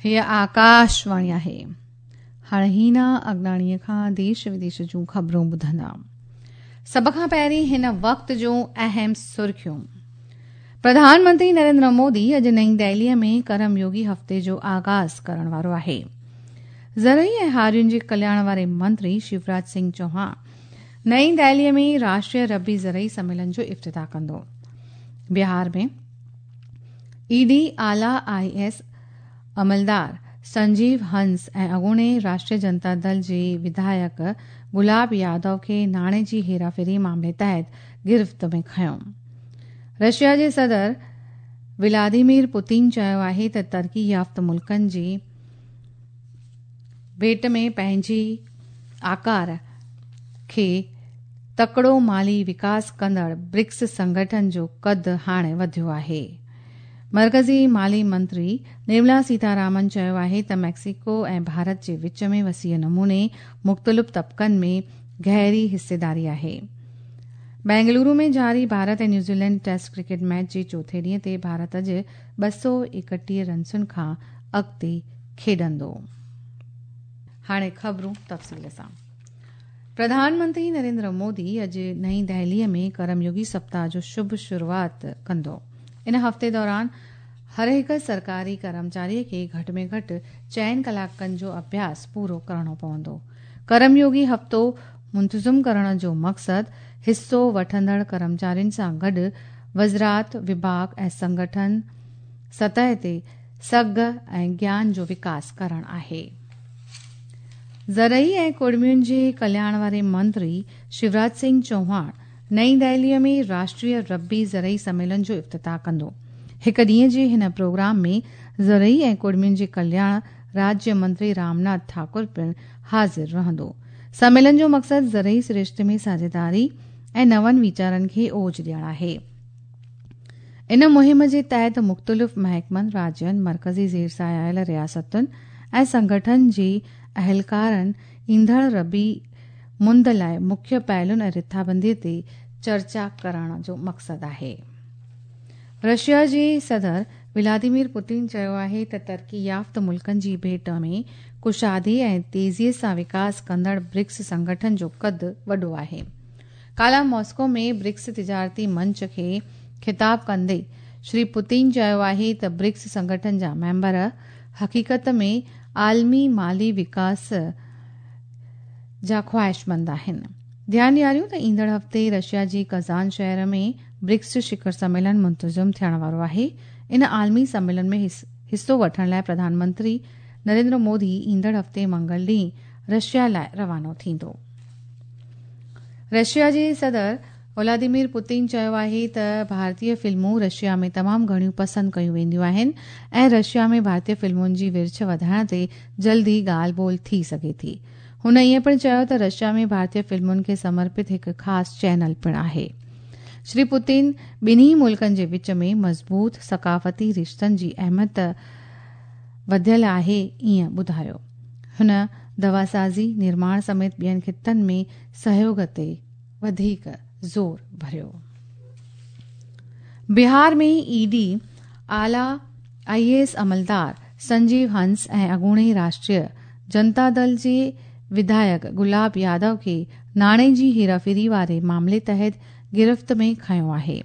هيء آڪاشواڻي آهي. هاڻ هينا اگناڻيء کان ديش وديش جون خبرون ٻڌندا. سڀ کان پهرين هن وقت جون اهم سرخيون. پرڌان منتري نريندر مودي اڄ نئين دهليء ۾ ڪرم يوگي هفتي جو آغاز ڪرڻ وارو آهي. زرعي ۽ هارين جي ڪلياڻ واري منتري شيوراج سنگهه چوهاڻ نئين دهليء ۾ راشٽريه ربي زرعي سميلن جو افتتاح ڪندو. بهار ۾ اي ڊي اعليٰ I S عملدار سنجيو هنس ۽ اڳوڻي راشٽريه جنتا دل جي وڌايڪ گلاب يادو کي ناڻي جي هيراڦيري معاملي تحت گرفت ۾ کنيو. رشيا جي صدر ولاديمير پوتين چيو آهي ته ترقي يافته ملڪن جي ڀيٽ ۾ پنهنجي آڪار کي تڪڙو مالي وڪاس ڪندڙ برڪس سنگٺن جو قد هاڻي وڌيو آهي. مرڪزي مالي منتري نرملا سيتارامن چيو آهي ته ميڪسيڪو ۽ ڀارت جي وچ ۾ وسيع نموني مختلف طبقن ۾ گهري حصيداري آهي. بينگلورو ۾ جاري Bharat ۽ New Zealand test cricket match جي چوٿين ڏينهن تي ڀارت اڄ 231 رنسن کان اڳتي کيڏندو. هاڻي خبرون تفصيل سان. پرڌان منتري نريندر مودي اڄ نئين دهليء ۾ ڪرم يوگي سپتاهه جو شڀ شروعات ڪندو. ان هفتي دوران هر هڪ سرڪاري ڪرمچاري کي گهٽ ۾ گهٽ چئن ڪلاڪن جو اڀياس پورو ڪرڻو پوندو. ڪرم يوگي هفتو منتظم ڪرڻ جو مقصد حصو وٺندڙ ڪرمچارين سان گڏ وزارت، وڀاڳ ۽ سنگٺن سطح تي سگهه ۽ گيان جو وڪاس ڪرڻ آهي. زرعي ۽ ڪڙمين جي ڪلياڻ واري منتري شيوراج سنگهه چوهاڻ نئين دهليء ۾ راشٽريه ربي زرعي سميلن جو افتتاح ڪندو. هڪ ڏينهن جي هن پروگرام ۾ زرعي ۽ ڪڙمين جي ڪلياڻ راجيه منتري رامناٿ ٺاڪر پڻ حاضر رهندو. سميلن جو مقصد زرعي سرشتي ۾ ساجهيداري ۽ نون ويچارن کي اوج ڏيڻ آهي. ان مهم جي تحت مختلف محڪمن، راجين، مرڪزي زير سايه آيل رياستن ۽ سنگٺن جي اهلڪارن ايندڙ ربيع مند لاء مکيه پهلن ۽ رٿابندي تي چرچا ڪرڻ جو مقصد آهي. رشيا جي صدر ولاديمير پوتين چيو آهي ته ترقي يافته ملڪن جي ڀيٽ ۾ ڪشادي ۽ تيزي سان وڪاس ڪندڙ برڪس سنگٺن جو قد وڏو آهي. ڪالهه ماسڪو ۾ برڪس تجارتي منچ کي خطاب ڪندي شري پوتين چيو آهي ته برڪس سنگٺن جا ميمبر حقيقت ۾ عالمي مالي وڪاس جا خواهشمند آهن. ڌيان ڏياريون ته ايندڙ هفتي رشيا جي ڪزان شهر ۾ برڪس شکر سميلن منتظم ٿيڻ وارو آهي. ان عالمي سميلن ۾ حصو وٺڻ لاء پرڌان منتري نريندر مودي ايندڙ هفتي منگل ڏينهن رشيا لاء روانو ٿيندو. رشيا جي صدر ولاديمير پوتين چيو آهي ته ڀارتي فلمون رشيا ۾ تمام گهڻيون پسند ڪيون وينديون آهن ۽ رشيا ۾ ڀارتي فلمن جي ورڇ وڌائڻ تي جلد ئي ڳالهه ٻولهه ٿي سگهي ٿي. هن ائين پڻ چيو ته رشيا ۾ ڀارتي فلمن کي سمرپت هڪ خاص چينل پڻ آهي. شري پوتين ٻنهي ملڪن جي وچ ۾ مضبوط ثقافتي رشتن جي اهميت وڌيل آهي ائين ٻڌايو. هن دواسازي، نرماڻ سميت ٻين خطن ۾ سهيوڳ تي وڌيڪ زور ڀريو. بهار ۾ اي ڊي اعليٰ I اي ايس عملدار سنجيو هنس ۽ اڳوڻي راشٽريه جنتا دل جي وڌايڪ گلاب يادو کي ناڻي جي هيراڦيري واري معاملي تحت گرفت ۾ کنيو آهي.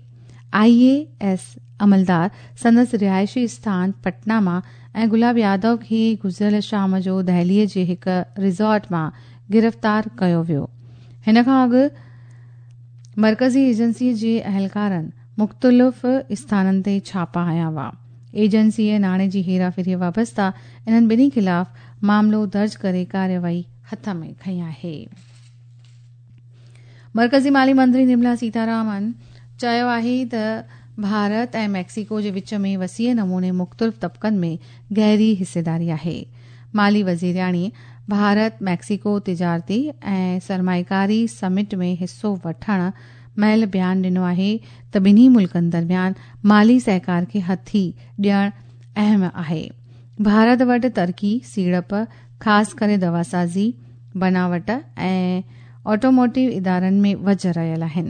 آء اي ايس عملدار سندس رهائشي اسٿان پٽنا مان ۽ گلاب يادو کي گذريل شام جو دهلي جي هڪ ريزورٽ مان گرفتار ڪيو ويو. هن کان اڳ مرڪزي ايجنسي جي اهلڪارن مختلف اسٿانن تي ڇاپا هنيا هئا. ايجنسيء ناڻي جي هيراڦيريء وابسته انهن ٻنهي خلاف معاملو درج ڪري ڪارروائي هٿ ۾ کنئي آهي. مرڪزي مالي منتري نرملا سيتارامن چيو آهي ته ڀارت ۽ ميڪسيڪو جي وچ ۾ وسيع نموني مختلف طبقن ۾ گهري حصيداري آهي. مالي وزيرياڻي ڀارت ميڪسيڪو تجارتي ۽ سرمائيڪاري سمٽ ۾ حصو وٺڻ مهل بيان ڏنو آهي ته ٻنهي ملڪن درميان مالي سهڪار کي هٿي ڏيڻ اهم آهي. ڀارت وٽ ترقي، سيڙپ، خاص ڪري دواسازي، بناوٽ ۽ آٽوموٽيو ادارن ۾ وجهه رهيل آهن.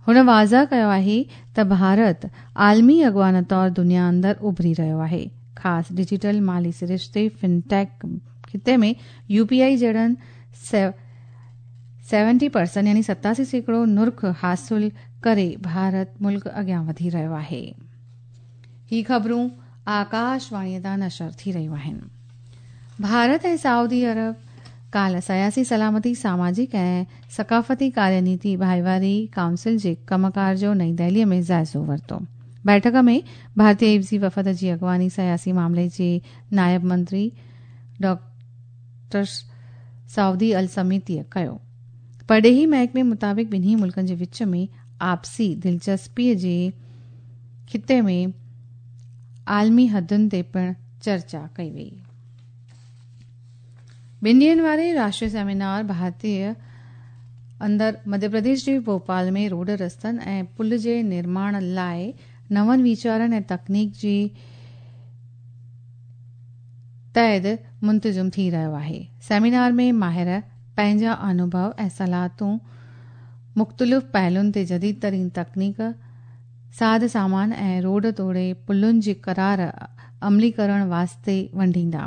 هن واضح ڪيو آهي ته ڀارت عالمي اڳواڻ طور دنيا اندر اڀري رهيو آهي. خاص ڊجيٽل مالي سرشتي فنٽيڪ خطي ۾ يو پي آء جهڙن 70% يعني 87% نرخ حاصل ڪري ڀارت ملڪ اڳيان وڌي رهيو آهي. هي خبرون آڪاشواڻي تان نشر ٿي رهيون آهن. ڀارت ۽ سعودي عرب ڪالهه سياسي، سلامتي، ساماجڪ ۽ ثقافتي ڪاريه نيتي ڀائيواري ڪائونسل جي ڪم ڪار جو نئين دهلي ۾ جائزو ورتو. بيٺڪ ۾ ڀارتي عيوضي وفد جي اڳواڻي سياسي معاملي جي نائب منتري ڊاڪٽر سعودي السميتي ڪيو. پرڏيهي محڪمي مطابق ٻنهي ملڪن جي وچ ۾ آپسي دلچسپي جي خطي ۾ عالمي حدن تي پڻ چرچا ڪئي وئي. ٻن ڏينهن واري راشٽريه سيمينار ڀارتي اندر مڌيه پرديش جي ڀوپال ۾ روڊ رستن ۽ پل جي نرماڻ لاء نون ويچارن ۽ تڪنيڪ جي تحت منتظم ٿي رهيو آهي. سيمينار ۾ ماهر پنهنجا انوڀو ۽ صلاحيتون مختلف پهلوئن تي جديد ترين تڪنيڪ، ساز سامان ۽ روڊ توڙي پلن جي قرار عملي ڪرڻ واسطي ونڊيندا.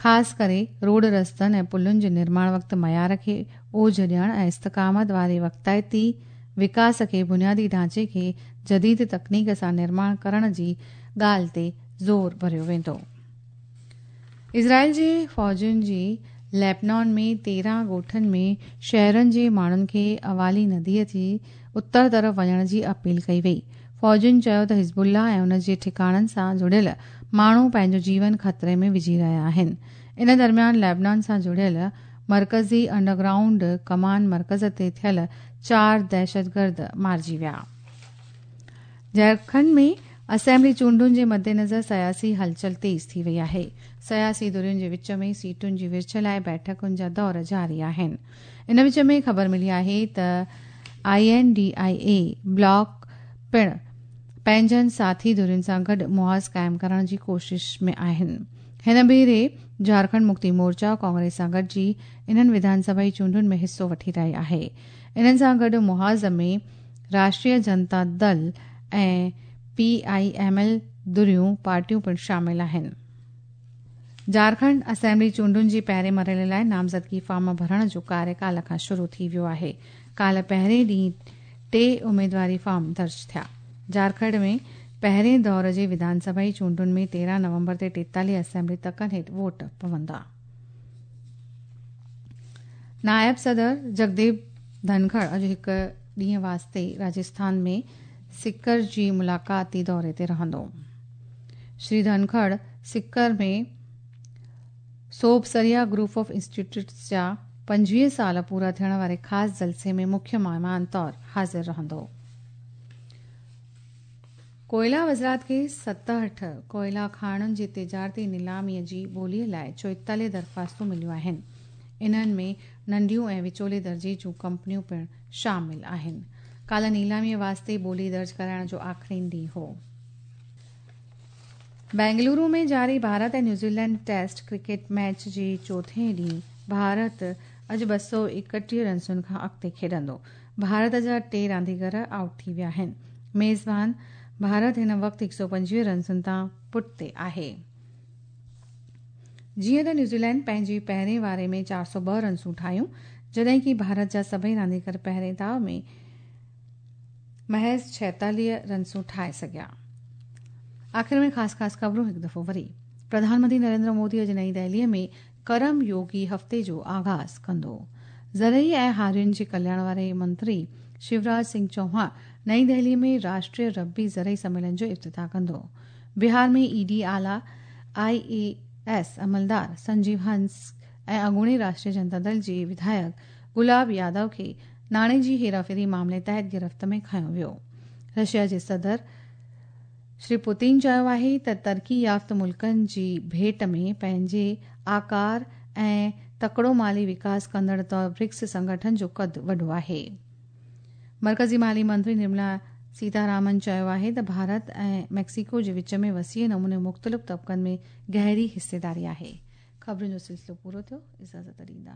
خاص ڪري روڊ رستن ۽ پلن جي نرماڻ وقت معيار کي اوج ڏيڻ ۽ استقامت واري وقتائتي وڪاس کي بنيادي ڍانچي کي جديد تڪنيڪ سان نرماڻ ڪرڻ جي ڳالهه تي زور ڀريو ويندو. اسرائيل جي فوجين جي ليبنان ۾ 13 ڳوٺن ۾ شهرن جي ماڻهن کي اوالي نديء جي اتر طرف وڃڻ جي اپيل ڪئي وئي. فوجين چيو ته حزب الله ۽ ان جي ٺڪاڻن سان جڙيل ماڻهو پنهنجو جيون خطري ۾ وجهي رهيا آهن. ان درميان ليبنان سان جڙيل مرڪزي انڊرگرائونڊ ڪمان مرڪز تي ٿيل 4 دهشتگرد مارجي ويا. جهارکنڊ ۾ اسيمبلي چونڊن جي مدنظر سياسي هلچل تيز ٿي وئي آهي. سياسي ڌرين جي وچ ۾ سيٽن جي ورڇ لاءِ بيٺڪن جا دور جاري آهن. ان وچ ۾ خبر ملي آهي ته I N D I A block پڻ پنهنجن ساٿي ڌرين سان گڏ محاذ قائم ڪرڻ جي ڪوشش ۾ آهن. هن ڀيري جهارکنڊ مڪتي مورچا ڪانگريس سان گڏجي انهن وڌان سڀائي چونڊن ۾ حصو وٺي رهي آهي. انهن سان گڏ محاذ ۾ راشٽريه جنتا دل ۽ پي I M L ڌريون پارٽيون پڻ شامل آهن. جهارکنڊ اسيمبلي چونڊن جي پهرين مرحلي لاءِ نامزدگي فارم ڀرڻ جو ڪاريه ڪالهه کان شروع ٿي ويو آهي. ڪالهه پهرين ڏينهن 3 اميدواري فارم درج ٿيا. جهارکنڊ ۾ پهرين دور جي وڌان سڀائي چونڊن ۾ 13 نومبر تي 43 اسيمبلي تڪن هيٺ ووٽ پوندا. نائب صدر جگديپ ڌنکڙ اڄ هڪ ڏينهن واسطي راجسٿان ۾ سڪر جي ملاقاتي دوري تي رهندو. شري ڌنکڙ سڪر ۾ سوڀسريا گروپ آف انسٽيٽيوٽس جا 25 سال پورا ٿيڻ واري خاص جلسي ۾ مکيه مهمان طور حاضر رهندو. ڪوئلا وزارت کي 67 ڪوئلا کاڻن جي تجارتي نيلاميءَ جي ٻوليءَ لاءِ 44 درخواستون مليون آهن. انهن ۾ ننڍيون ۽ وچولي درجي جون ڪمپنيون پڻ شامل آهن. ڪالهه نيلاميءَ واسطي ٻولي درج ڪرائڻ جو آخرين ڏينهن هو. بينگلورو ۾ جاري Bharat ۽ New Zealand test cricket match جي چوٿين ڏينهن ڀارت اڄ 231 رنسن کان اڳتي کيڏندو. ڀارت جا 3 رانديگر آئوٽ ٿي ويا آهن. ميزبان ڀارت هن وقت 125 رنسن تان پٺتي آهي. جيئن ته نيوزيلينڊ پنهنجي پهرين واري ۾ 402 رنسون ٺاهيون، جڏهن ڪه ڀارت جا سڀئي رانديگر پهرين داءُ ۾ محض 46 رنسون ٺاهي سگهيا. آخر ۾ خاص خاص خبرون هڪ دفعو وري. پرڌان منتري نريندر مودي اڄ نئين دهليءَ ۾ ڪرم يوگي هفتي جو آغاز ڪندو. زرعي ۽ هارين جي ڪلياڻ واري منتري شيوراج سنگهه چوهاڻ نئين دهليءَ ۾ راشٽريه ربي زرعي سميلن جو افتتاح ڪندو. بهار ۾ اي ڊي اعليٰ آئي اي ايس عملدار سنجيو هنس ۽ اڳوڻي راشٽريه جنتا دل جي وڌايڪ گلاب يادو کي ناڻي جي هيراڦيري معاملي تحت گرفت ۾ کنيو ويو. رشيا جي صدر شري پوتين چيو آهي ته ترقي يافته ملڪن جي ڀيٽ ۾ پنهنجي آڪار ۽ تڪڙو مالي وڪاس ڪندڙ طور برڪس سنگٺن جو قد وڏو آهي. مرڪزي مالي منتري نرملا سيتارامن چيو آهي ته ڀارت ۽ ميڪسيڪو جي وچ ۾ وسيع نموني مختلف طبقن ۾ گهري حصيداري آهي. خبرن جو سلسلو پورو ٿيو. اجازت ڏيندا.